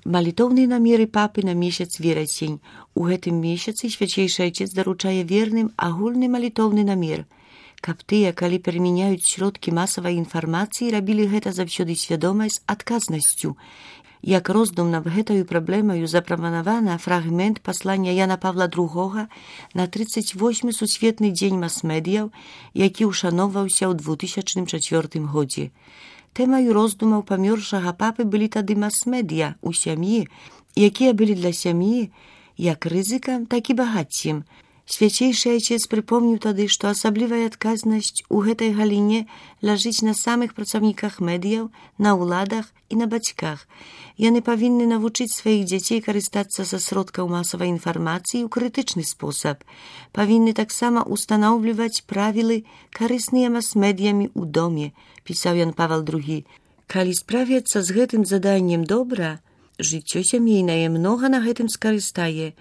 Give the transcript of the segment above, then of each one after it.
Малітоўныя намеры папы на месяц верасень. У гэтым месяцы свяцейшы айцец даручае верным агульны малітоўны намер, каб тыя, калі перамяняюць сродкі масавай інфармацыі, рабілі гэта заўсёды свядома з адказнасцю. Як роздум над гэтаю праблемаю запрапанавана фрагмент паслання Яна Павла II на 38-й сусветны дзень мас-медыяў, які ушаноўваўся ў 2004 годзе. Тэмаю роздумаў памёршага папы былі тады мас-медыя ў сям'і, якія былі для сям'і як рызыкам, так і багаццем. Свяцейшы айцец прыпомніў тады, што асаблівая адказнасць у гэтай галіне ляжыць на самых працаўніках медыяў, на ўладах і на бацьках. Яны павінны навучыць сваіх дзяцей карыстацца са сродкаў масавай інфармацыі ў крытычны спосаб. Павінны таксама устанаўліваць правілы, карысныя мас-медыямі ў доме, пісаў Ян Павел II. Калі справяцца з гэтым заданнем добра, жыццё сямейнае многа на гэтым скарыстае.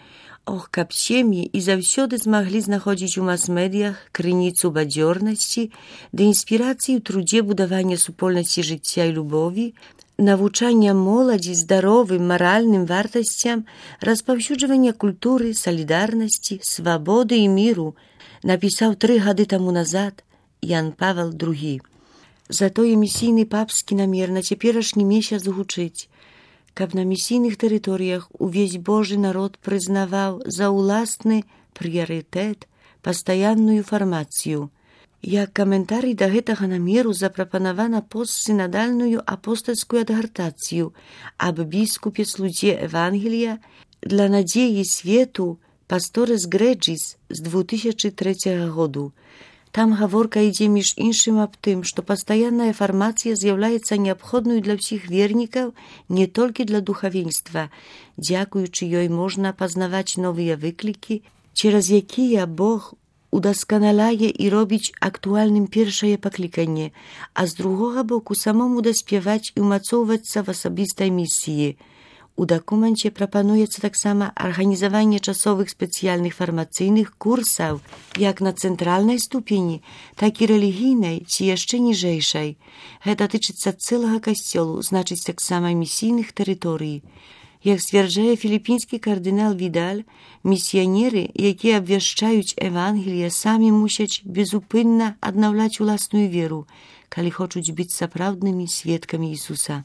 Ох, каб сем'і і заўсёды змаглі знаходзіць у мас-медыях крыніцу бадзёрнасці ды інспірацыі ў трудзе будавання супольнасці жыцця і любові, навучання моладзі здаровым маральным вартасцям, распаўсюджвання культуры, салідарнасці, свабоды і міру, напісаў 3 гады таму назад Ян Павел II. Затое місійны папскі намер на цяперашні месяц гучыць, каб на місійных тэрыторыях увесь Божы народ прызнаваў за ўласны прыярытэт пастаянную фармацыю. Як каментарый да гэтага намеру запрапанавана постсінадальную апостальскую адгартацыю аб біскупе-слудзе Евангелія для надзеі свету Пасторес Грэджис з 2003 году. Там гаворка ідзе між іншым аб тым, што пастаянная фармацыя з'яўляецца неабходнаю для ўсіх вернікаў, не толькі для духавенства. Дзякуючы ёй можна пазнаваць новыя выклікі, цераз якія Бог удасканаляе і робіць актуальным першае пакліканне, а з другога боку самому даспяваць і ўмацоўвацца в асабістай місіі. У дакуменце прапануецца таксама арганізаванне часовых спецыяльных фармацыйных курсаў як на цэнтральнай ступені, так і рэлігійнай ці яшчэ ніжэйшай. Гэта тычыцца цэлага касцёлу, значыць таксама місійных тэрыторый. Як сцвярджае філіпінскі кардынал Відаль, місіянеры, якія абвяшчаюць Евангелие, самі мусяць безупынна аднаўляць уласную веру, калі хочуць быць сапраўднымі сведкамі Ісуса.